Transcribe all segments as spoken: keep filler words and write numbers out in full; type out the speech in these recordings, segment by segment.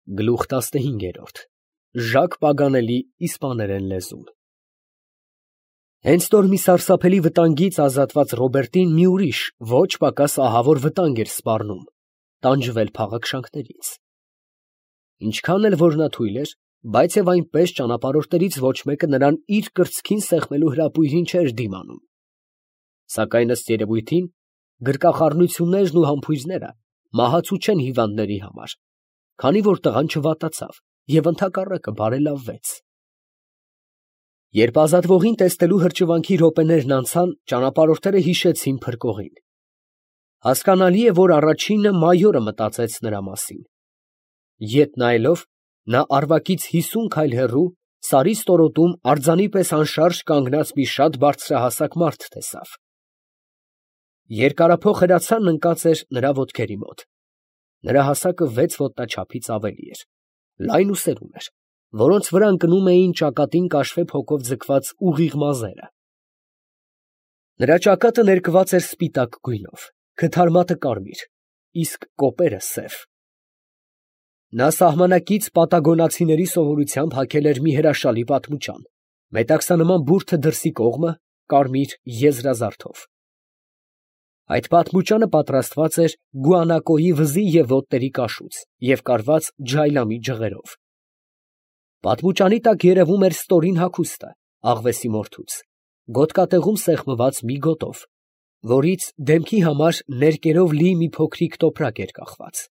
Գլուխ տասնհինգերորդ Ժակ Պագանելի իսպաներեն լեզուն Հենց նոր մի սարսափելի վտանգից ազատված Ռոբերտին մի ուրիշ, ոչ պակաս ահավոր վտանգ էր սպառնում, տանջվել փաղաքշանքներից։ Ինչքան էլ որ նա թույլ էր, բայց և այնպես ճանապարհորդներից ոչ մեկը նրան իր կրծքին սեղմելու հրապույրին չէր դիմանում։ Սակայն ըստ երևույթին, գրկախառնություններն ու համբույրները մահացու չեն հիվանդների համար, քանի որ տղան չվատացավ և ընդհակառակը բարելավվեց։ Երբ ազատվողին տեսնելու հրճվանքի րոպեներն անցան, ճանապարհորդները հիշեցին փրկողին։ Հասկանալի է, որ առաջինը մայորը մտածեց նրա մասին։ Ետ նայելով, նա առվակից հիսուն քայլ հեռու, սարի ստորոտում արձանի պես անշարժ կանգնած մի շատ բարձրահասակ մարդ տեսավ։ Երկարափոխ հրացանն ընկած էր նրա ոտքերի մոտ։ Նրա հասակը վեց ոտնաչափից ավելի էր, լայն ուսերուն էր, որոնց վրա ընկնում էին ճակատին կաշվե փոքով ձգված ուղիղ մազերը։ Նրա ճակատը ներկված էր սպիտակ գույնով, քթարմատը կարմիր, իսկ կոպերը սև։ Նա սահմանակից պատագոնացիների սովորությամբ հագել էր մի հրաշալի պատմուճան, մետաքսանման բուրդը դրսի կողմը կարմիր եզրազարդով։ Այդ պատմուճանը պատրաստված էր գուանակոյի վզի և ոտների կաշուց և կարված ջայլամի ջղերով։ Պատմուճանի տակ երևում էր ստորին հագուստը աղվեսի մորթուց, գոտկատեղում սեղմված մի գոտով, որից դեմքի համար ներկերով լի մի փոքրիկ տոպրակ էր կախված։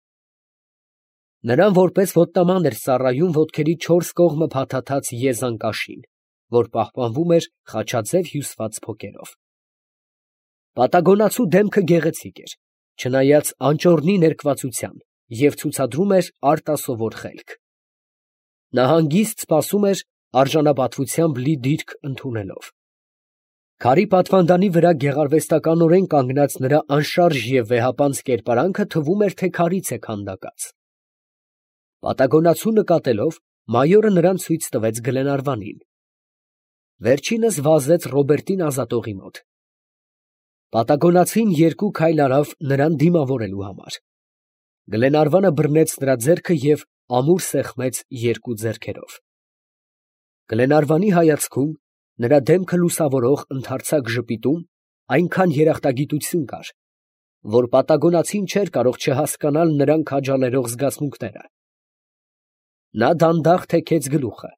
Նրան որպես ոտնաման էր ծառայում ոտքերի չորս կողմը փաթաթած եզան կաշին, որ պահպանվում էր խաչաձև հյուսված փոկերով։ Պատագոնացու դեմքը գեղեցիկ էր, չնայած անճոռնի ներկվածության, և ցուցադրում էր արտասովոր խելք։ Նա հանգիստ սպասում էր, արժանապատվությամբ լի դիրք ընդունելով։ Քարի պատվանդանի վրա գեղարվեստականորեն կանգնած նրա անշարժ և վեհապանծ կերպարանքը թվում էր, թե քարից է քանդակած։ Պատագոնացու նկատելով, մայորը նրան ցույց տվեց Գլենարվանին։ Վերջինս վազեց Ռոբերտին ազատողի մոտ։ Պատագոնացին երկու քայլ արավ նրան դիմավորելու համար։ Գլենարվանը բռնեց նրա ձեռքը և ամուր սեղմեց երկու ձեռքերով։ Գլենարվանի հայացքում, նրա դեմքը լուսավորող ընդարձակ ժպիտում այնքան երախտագիտություն կար, որ պատագոնացին չէր կարող չհասկանալ նրան քաջալերող զգացմունքները։ Նա դանդաղ թեքեց գլուխը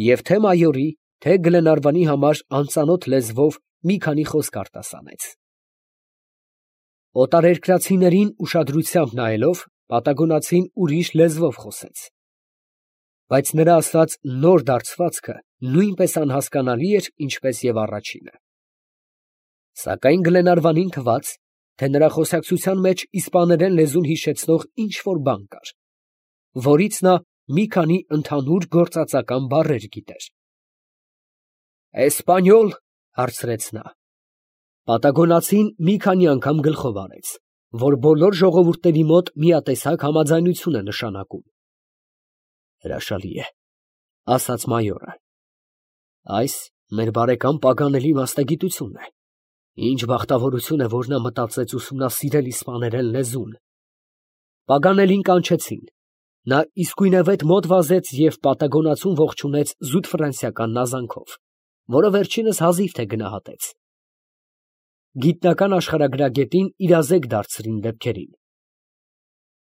և թե՛ մայորի, թե՛ Գլենարվանի համար անծանոթ լեզվով մի քանի խոսք արտասանեց։ Օտարերկրացիներին ուշադրությամբ նայելով, պատագոնացին ուրիշ լեզվով խոսեց։ Բայց նրա ասած նոր դարձվածքը նույնպես անհասկանալի էր, ինչպես և առաջինը։ Սակայն Գլենարվանին թվաց, թե նրա խոսակցության մեջ իսպաներեն լեզուն հիշեցնող ինչ֊որ բան կար, որից նա մի քանի ընդհանուր գործածական բառեր գիտեր։ «Էսպանյոլ» հարցրեց նա։ Պատագոնացին մի քանի անգամ գլխով արեց, որ բոլոր ժողովուրդների մոտ միատեսակ համաձայնություն է նշանակում։ «Հրաշալի է, ֊ ասաց մայորը, ֊ այս մեր բարեկամ Պագանելի մասնագիտությունն է։ Ինչ բախտավորություն է, որ նա մտածեց ուսումնասիրել իսպաներեն լեզուն»։ Պագանելին կանչեցին։ Նա իսկույնևեթ մոտ վազեց և պատագոնացուն ողջունեց զուտ ֆրանսիական նազանքով, որը վերջինս հազիվ թե գնահատեց։ Գիտնական աշխարհագրագետին իրազեկ դարձրին դեպքերին։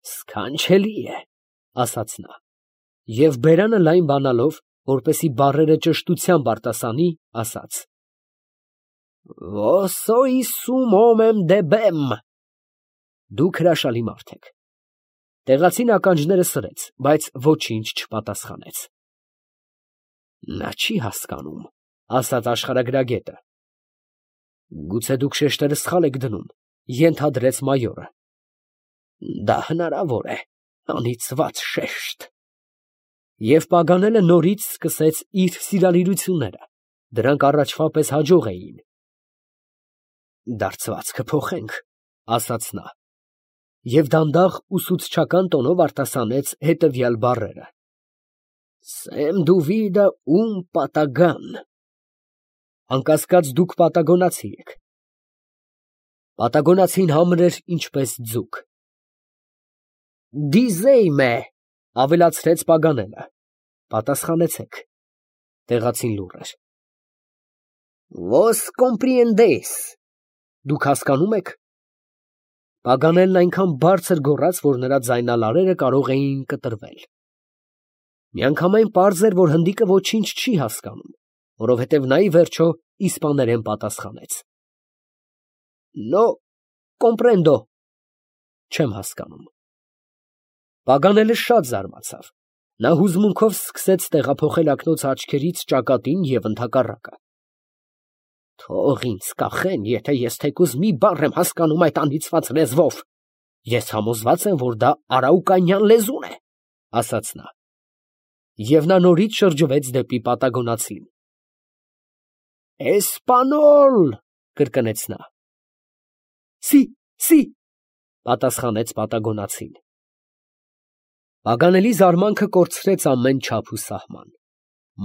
«Սքանչելի է, ֊ ասաց նա, և բերանը լայն բանալով, որպեսզի բառերը ճշտությամբ արտասանի, ասաց. «Վոսոյիսում օմեմ դեբեմ» (Դուք հրաշալի մարդ եք)։ Տեղացին ականջները սրեց, բայց ոչինչ չպատասխանեց։ «Նա չի հասկանում, ֊ ասաց աշխարհագրագետը։ ֊ Գուցե դուք շեշտերը սխալ եք դնում, ֊ ենթադրեց մայորը։ ֊ Դա հնարավոր է, անիծված շեշտ։ Եվ Պագանելը նորից սկսեց իր սիրալիրությունները, դրանք առաջվա պես հաջող էին։ «Դարձվածքը փոխենք, ֊ ասաց նա, և դանդաղ ուսուցչական տոնով արտասանեց հետևյալ բառերը. «Սեմ դուվիդը ում պատագան» (Անկասկած, դուք պատագոնացի եք)։ Պատագոնացին համր էր, ինչպես ձուկ։ «Դիզեյմե» Ավելացրեց Պագանելը։ Պատասխանեցեք։ Տեղացին լուռ էր։ Vos comprendéis։ Դուք հասկանում եք։ Պագանելն այնքան բարձր գոռաց, որ նրա ձայնալարերը կարող էին կտրվել։ Միանգամայն պարզ էր, որ հնդիկը ոչինչ չի հասկանում, որովհետև նա ի վերջո իսպաներեն պատասխանեց. No comprendo։ Չեմ հասկանում։ Պագանելը շատ զարմացավ։ Նա հուզմունքով սկսեց տեղափոխել ակնոց աչքերից ճակատին և ընդհակառակը։ Թող ինձ կախեն, եթե ես թեկուզ մի բառ եմ հասկանում այդ անիծված լեզվով։ Ես համոզված եմ, որ դա արաուկանյան լեզուն է, ասաց նա։ Եվ նա նորից շրջվեց դեպի պատագոնացին։ Էսպանոլ, կրկնեց նա։ Սի, սի, պատասխանեց պատագոնացին։ Պագանելի զարմանքը կորցրեց ամեն չափ ու սահման։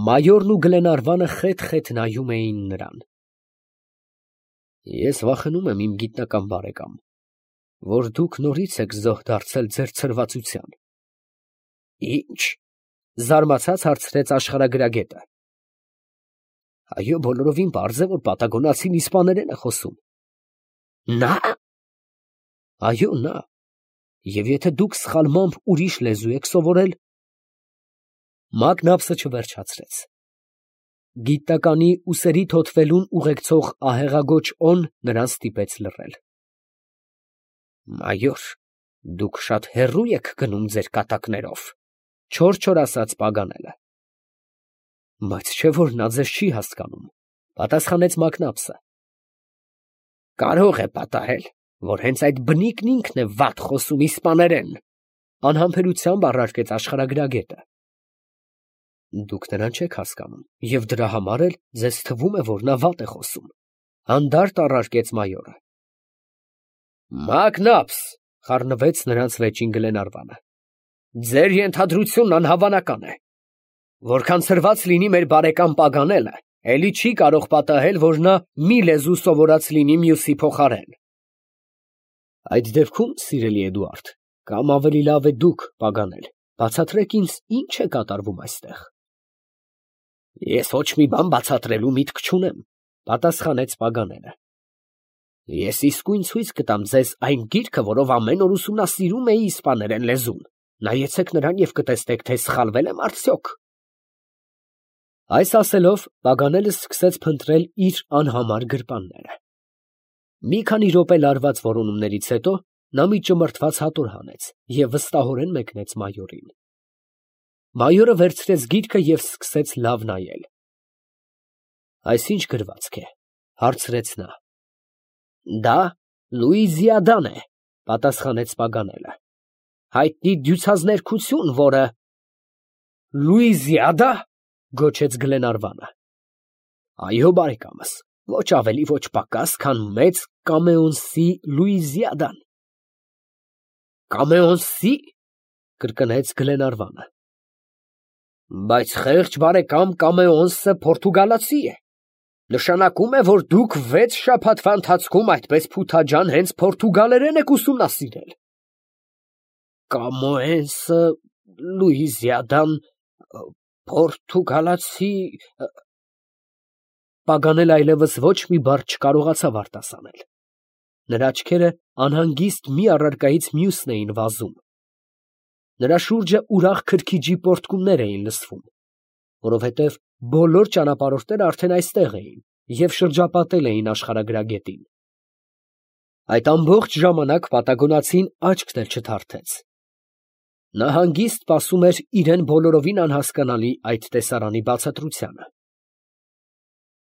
Մայորն ու Գլենարվանը խետ-խետ նայում էին նրան։ Ես վախենում եմ, իմ գիտնական բարեկամ, որ դուք նորից եք զոհ դարձել ձեր ցրվածության։ Ինչ, զարմացած հարցրեց աշխարհագրագետը։ Այո, բոլորովին պարզ է, որ պատագոնացին իսպաներեն է խոսում։ Նա։ Այո, նա։ Եվ եթե դուք սխալմամբ ուրիշ լեզու եք սովորել։ Մակնապսը չվերջացրեց։ Գիտնականի ուսերի թոթվելուն ուղեկցող ահեղագոչ օն նրան ստիպեց լռել։ Մայոր, դուք շատ հեռու եք գնում ձեր կատակներով, չոր-չոր ասաց Պագանելը։ Բայց չէ՞ որ նա ձեզ չի հասկանում, պատասխանեց Մակնապսը։ Կարող է պատահել, որ հենց այդ բնիկն ինքն է վատ խոսում իսպաներեն, անհամբերությամբ առարկեց աշխարհագրագետը։ Դուք նրան չեք հասկանում, և դրա համար էլ ձեզ թվում է, որ նա վատ է խոսում, հանդարտ առարկեց մայորը։ Մակնապս, խառնվեց նրանց վեճին Գլենարվանը։ Ձեր ենթադրությունն անհավանական է։ Որքան ցրված լինի մեր բարեկամ Պագանելը, էլի չի կարող պատահել, որ նա մի լեզու սովորած լինի մյուսի փոխարեն։ Այդ դեպքում, սիրելի Էդուարդ, կամ ավելի լավ է դուք, Պագանել, բացատրեք ինձ, ինչ է կատարվում այստեղ։ Ես ոչ մի բան բացատրելու միտք չունեմ, պատասխանեց Պագանելը։ Ես իսկույն ցույց կտամ ձեզ այն գիրքը, որով ամեն օր ուսումնասիրում էի իսպաներեն լեզուն։ Նայեցեք նրան և կտեսնեք, թե սխալվել եմ արդյոք։ Այս ասելով, Պագանելը սկսեց փնտրել իր անհամար գրպանները։ Մի քանի րոպե լարված որոնումներից հետո նա մի ճմրթված հատոր հանեց և վստահորեն մեկնեց մայորին։ Մայորը վերցրեց գիրքը և սկսեց լավ նայել։ Այս ի՞նչ գրվածք է, հարցրեց նա։ Դա Լուիզիադան է, պատասխանեց Պագանելը։ Հայտնի դյուցազներկություն, որը… Լուիզիադա, գոչեց Գլենարվանը։ Այո, բարեկամս, ոչ ավելի, ոչ պակաս, քան մեծ Կամեոնսի Լուիզիադան։ Կամեոնսի, կրկնեց Գլենարվանը։ Բայց խեղճ բարեկամ, Կամեոնսը պորտուգալացի է։ Նշանակում է, որ դուք վեց շաբաթվա ընթացքում այդպես փութաջան հենց պորտուգալերեն եք ուսումնասիրել։ Կամեոնսը, Լուիզիադան, պորտուգալացի… Պագանելը այլևս ոչ մի բառ չկարողացավ արտասանել։ Նրա աչքերը անհանգիստ մի առարկայից մյուսն էին վազում։ Նրա շուրջը ուրախ քրքիջի պոռթկումներ էին լսվում, որովհետև բոլոր ճանապարհորդները արդեն այստեղ էին և շրջապատել էին աշխարհագրագետին։ Այդ ամբողջ ժամանակ պատագոնացին աչքն էլ չթարթեց։ Նա հանգիստ սպասում էր իրեն բոլորովին անհասկանալի այդ տեսարանի բացատրությանը։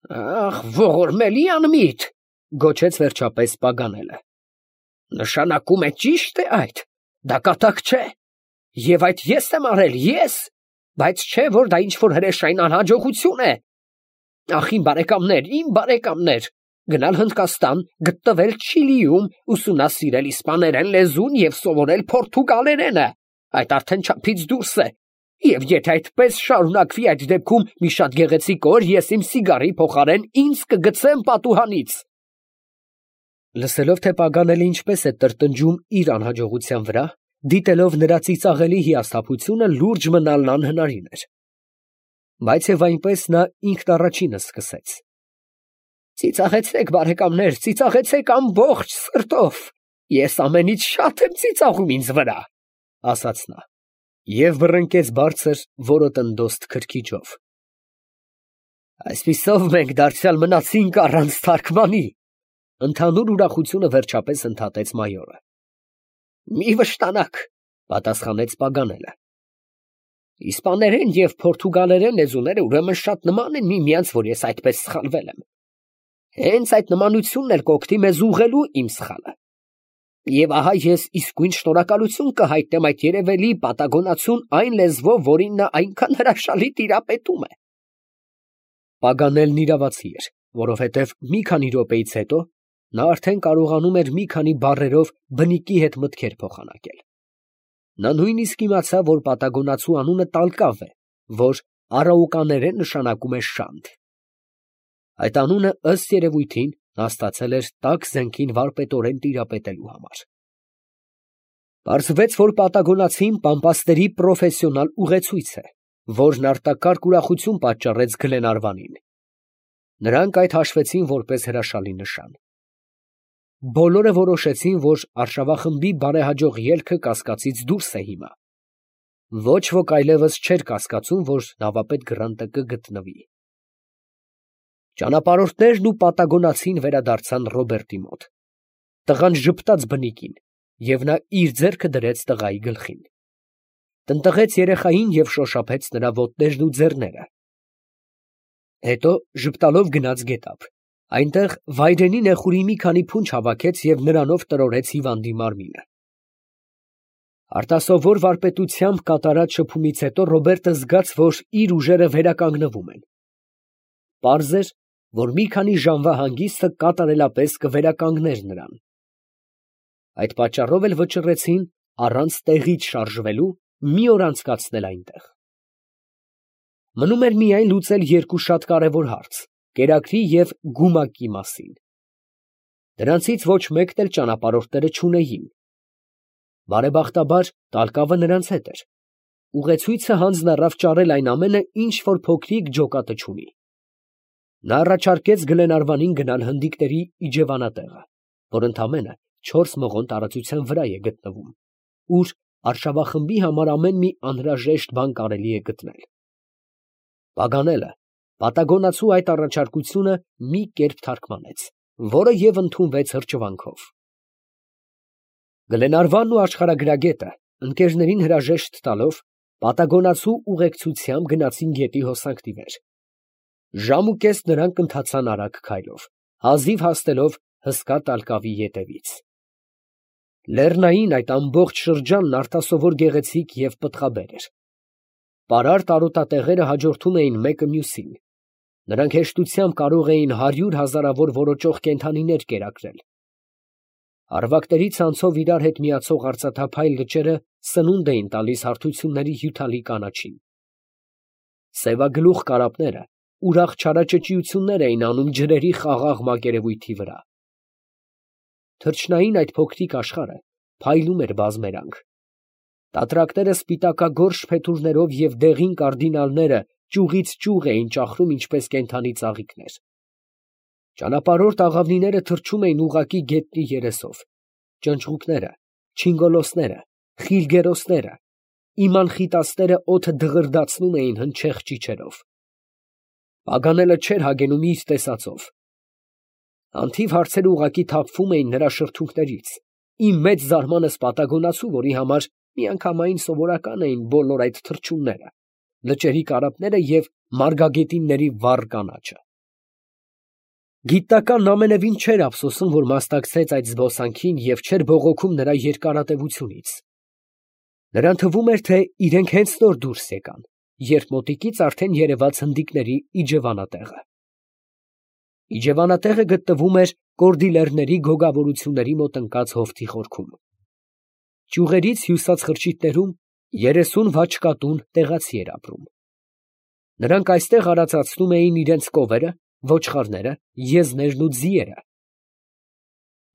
Ախ, ողորմելի անմիտ, գոչեց վերջապես Պագանելը։ Նշանակում է ճիշտ է այդ, դա կատակ չէ, և այդ ես եմ արել, ես, բայց չէ, որ դա ինչ-որ հրեշային անհաջողություն է։ Ախ, իմ բարեկամներ, իմ բարեկամներ, գնալ Հնդկաստան, գտնվել Չիլիում, ուսումնասիրել իսպաներեն լեզուն և սովորել պորտուգալերենը, այդ արդեն չափից դուրս է, և եթե այդպես շարունակվի, այդ դեպքում մի շատ գեղեցիկ օր ես իմ սիգարի փոխարեն ինձ կգցեմ պատուհանից։ Լսելով, թե Պագանելը ինչպես է տրտնջում իր անհաջողության վրա, դիտելով նրա ծիծաղելի հիասթափությունը, լուրջ մնալն անհնարին էր։ Բայց և այնպես նա ինքն առաջինը սկսեց. «Ծիծաղեցեք, բարեկամներ, ծիծաղեցեք ամբողջ սրտով, ես ամենից շատ եմ ծիծաղում ինձ վրա», ֊ ասաց նա, և բռնկեց բարձր որոտնդոստ քրքիջով։ «Այսպիսով մենք դարձյալ մնացինք առանց թարգմանի, ֊ ընդհանուր ուրախությունը վերջապես ընդհատեց մայորը։ ֊ Մի վշտանաք, ֊ պատասխանեց Պագանելը. իսպաներեն և փորթուգալերեն լեզուները ուրեմն շատ նման են միմյանց, որ ես այդպես սխալվել եմ. հենց այդ նմանությունն էլ կօգնի մեզ ուղղելու իմ սխալը։ Եվ ահա ես իսկույն շնորհակալություն կհայտնեմ այդ երևելի պատագոնացուն այն լեզվով, որին նա այնքան հրաշալի տիրապետում է։ Պագանելն իրավացի էր, որովհետև մի քանի րոպեից հետո նա արդեն կարողանում էր մի քանի բառերով բնիկի հետ մտքեր փոխանակել։ Նա նույնիսկ իմացավ, որ պատագոնացու անունը Տալկավ է, որ արաուկաներեն նշանակում է շանթ։ Այդ անունը, ըստ երևույթին, նա ստացել էր տաք զենքին վարպետորեն տիրապետելու համար։ Պարզվեց, որ պատագոնացին պամպասների պրոֆեսիոնալ ուղեցույց է, որն արտակարգ ուրախություն պատճառեց Գլենարվանին։ Նրանք այդ հաշվեցին որպես հրաշալի նշան։ Բոլորը որոշեցին, որ արշավախմբի բարեհաջող ելքը կասկածից դուրս է հիմա։ Ոչ ոք այլևս չէր կասկածում, որ նավապետ Գրանտը կգտնվի։ Ճանապարհորդներն ու պատագոնացին վերադարձան Ռոբերտի մոտ։ Տղան ժպտաց բնիկին, և նա իր ձեռքը դրեց տղայի գլխին։ Տնտղեց երեխային և շոշափեց նրա ոտներն ու ձեռները։ Հետո ժպտալով գնաց գետափ, այնտեղ վայրենի նեխուրի մի քանի փունջ հավաքեց և նրանով տրորեց հիվանդի մարմինը։ Արտասովոր վարպետությամբ կատարած շփումից հետո Ռոբերտը զգաց, որ իր ուժերը վերականգնվում են։ Պարզ էր, որ մի քանի ժամվա հանգիստը կատարելապես կվերականգներ նրան։ Այդ պատճառով էլ վճռեցին, առանց տեղից շարժվելու, մի օր անցկացնել այնտեղ։ Մնում էր միայն լուծել երկու շատ կարևոր հարց՝ կերակրի և գումակի մասին։ Դրանցից ոչ մեկն էլ ճանապարհորդները չունեին։ Բարեբախտաբար Տալկավը նրանց հետ էր։ Ուղեցույցը հանձն առավ ճարել այն ամենը, ինչ որ փոքրիկ ջոկատը չունի։ Նա առաջարկեց Գլենարվանին գնալ հնդիկների իջևանատեղը, որ ընդամենը չորս մղոն տարածության վրա է գտնվում, ուր արշավախմբի համար ամեն մի անհրաժեշտ բան կարելի է գտնել։ Պագանելը պատագոնացու այդ առաջարկությունը մի կերպ թարգմանեց, որը և ընդունվեց հրճվանքով։ Գլենարվանն ու աշխարհագրագետը, ընկերներին հրաժեշտ տալով, պատագոնացու ուղեկցությամբ գնացին գետի հոսանքն ի վեր։ Ժամ ու կես նրանք ընթացան արագ քայլով, հազիվ հասնելով հսկա Տալկավի ետևից։ Լեռնային այդ ամբողջ շրջանն արտասովոր գեղեցիկ և պտղաբեր էր։ Պարար տարոտատեղերը հաջորդում էին մեկը մյուսին։ Նրանք հեշտությամբ կարող էին հարյուր հազարավոր որոճող կենդանիներ կերակրել։ Առվակների ցանցով իրար հետ միացող արծաթափայլ լճերը սնունդ էին տալիս հարթությունների հյութալի կանաչին։ Սևագլուխ կարապները ուրախ չարաճճիություններ էին անում ջրերի խաղաղ մակերևույթի վրա։ Թրջնային այդ փոքրիկ աշխարհը փայլում էր բազմերանգ։ Տատրակները սպիտակագորշ փետուրներով և դեղին կարդինալները ճյուղից ճյուղ էին ճախրում ինչպես կենդանի ծաղիկներ։ Ճանապարհորդ աղավնիները թռչում էին ուղղակի գետնի երեսով, ճնճղուկները, չինգոլոսները, խիլգերոսները, իմանխիտասները օդը դղրդացնում էին հնչեղ ճիչերով։ Պագանելը չէր հագենում իր տեսածով։ Անթիվ հարցեր ուղղակի թափվում էին նրա շրթունքներից, ի մեծ զարմանս պատագոնացու, որի համար միանգամայն սովորական էին բոլոր այդ թռչունները, լճերի կարապները և մարգագետինների վառ կանաչը։ Գիտնականն ամենևին չէր ափսոսում, որ մասնակցեց այդ զբոսանքին և չէր բողոքում նրա երկարատևությունից։ Նրան թվում էր, թե իրենք հենց նոր դուրս եկան, երբ մոտիկից արդեն երևաց հնդիկների իջևանատեղը։ Իջևանատեղը գտնվում էր Կորդիլերների գոգավորությունների մոտ ընկած հովտի խորքում։ Ճյուղերից հյուսած խրճիթներում երեսուն վաչկատուն տեղացի էր ապրում։ Նրանք այստեղ արածացնում էին իրենց կովերը, ոչխարները, եզներն ու ձիերը։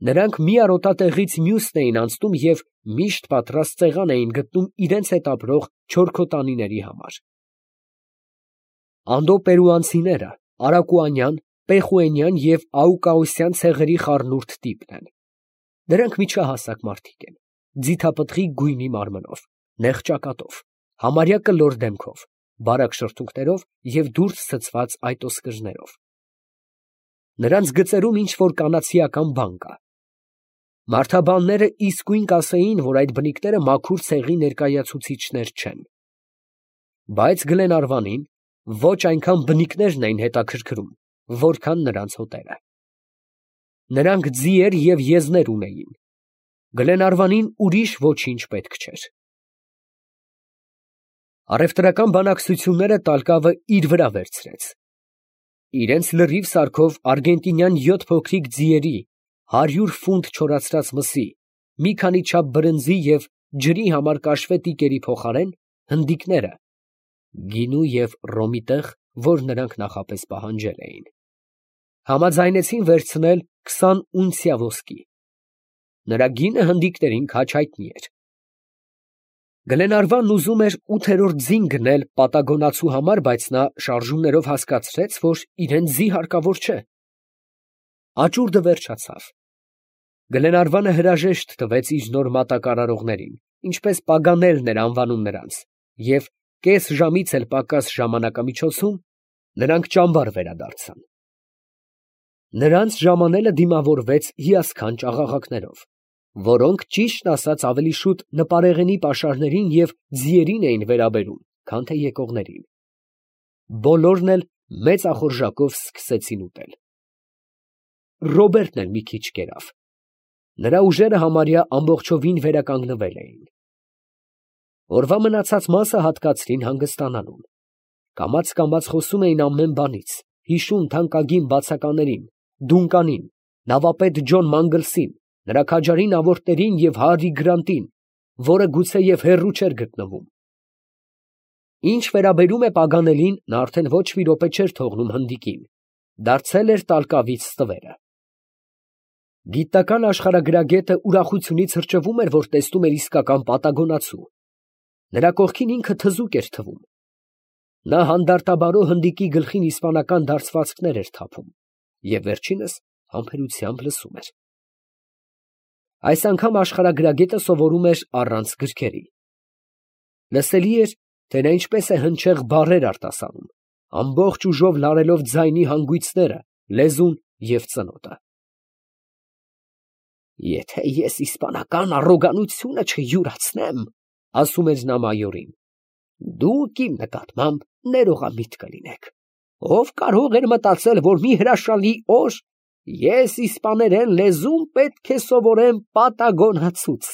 Նրանք մի արոտատեղից մյուսն էին անցնում և միշտ պատրաստ սեղան էին գտնում իրենց հետ ապրող չորքոտանիների համար։ Անդո պերուանցիները արակուանյան, պեխուենյան և աուկաոսյան ցեղերի խառնուրդ տիպն են։ Դրանք միջահասակ մարդիկ են, ձիթապտղի գույնի մարմնով, նեղ ճակատով, համարյա կլոր դեմքով, բարակ շրթունքներով և դուրս ցցված այտոսկրներով։ Նրանց գծերում ինչ որ կանացիական բան կա։ Մարդաբանները իսկույն կասեին, որ այդ բնիկները մաքուր ցեղի ներկայացուցիչներ չեն։ Բայց Գլենարվանին ոչ այնքան բնիկներն էին հետաքրքրում, որքան նրանց հոտերը։ Նրանք ձիեր և եզներ ունեին։ Գլենարվանին ուրիշ ոչինչ պետք չէր։ Առևտրական բանակցությունները տալկավը իր վրա վերցրեց։ Իրենց լրիվ սարքով արգենտինյան յոթ փոքրիկ ձիերի, հարյուր ֆունտ չորացրած մսի, մի քանի չափ բրնձի և ջրի համար կաշվե տիկերի փոխարեն հնդիկները գինու և ռոմի տեղ, որ նրանք նախապես պահանջել էին, համաձայնեցին վերցնել քսան ունցիա ոսկի։ Նրա գինը հնդիկներին քաջ հայտնի էր։ Գլենարվանն ուզում էր ութերորդ ձին գնել պատագոնացու համար, բայց նա շարժումներով հասկացրեց, որ իրան ձի հարկավոր չէ։ Աճուրդը վերջացավ։ Գլենարվանը հրաժեշտ տվեց իր նոր մատակարարողներին, ինչպես Պագանելն էր անվանում նրանց, և կես ժամից էլ պակաս ժամանակամիջոցում նրանք ճամբար վերադարձան։ Նրանց ժամանելը դիմավորվեց հիասքանչ աղաղակներով, որոնք, ճիշտն ասած, ավելի շուտ նպարեղենի պաշարներին և ձիերին էին վերաբերում, քան թե եկողներին։ Բոլորն էլ մեծ ախորժակով սկսեցին ուտել։ Ռոբերտն էլ մի քիչ կերավ։ Նրա ուժերը համարյա ամբողջովին վերականգնվել էին։ Օրվա մնացած մասը հատկացրին հանգստանալուն։ Կամաց֊կամաց խոսում էին ամեն բանից, հիշում թանկագին բացականերին, Դունկանին, նավապետ Ջոն Մանգլսին, նրա քաջարին ավորտներին և Հարրի Գրանտին, որը գուցեև հեռու չէր գտնվում։ Ինչ վերաբերում է Պագանելին, նա արդեն ոչ մի րոպե չէր թողնում հնդիկին, դարձել էր տալկավից ստվերը։ Գիտնական աշխարհագրագետը ուրախությունից հրճվում էր, որ տեսնում էր իսկական պատագոնացու։ Նրա կողքին ինքը թզուկ էր թվում։ Նա հանդարտաբարո հնդիկի գլխին իսպանական դարձվածքներ էր թափում և վերջինս համբերությամբ լսում էր։ Այս անգամ աշխարհագրագետը սովորում էր առանց գրքերի։ Լսելի էր, թե նա ինչպես է հնչեղ բառեր արտասանում, ամբողջ ուժով լարելով ձայնի հանգույցները, լեզուն և ծնոտը։ «Եթե ես իսպանական առոգանությունը չյուրացնեմ, ֊ ասում էր նա մայորին, ֊ դուք իմ նկատմամբ ներողամիտ կլինեք. ով կարող էր մտածել, որ մի հրաշալի օր ես իսպաներեն լեզուն պետք է սովորեմ պատագոնացուց»։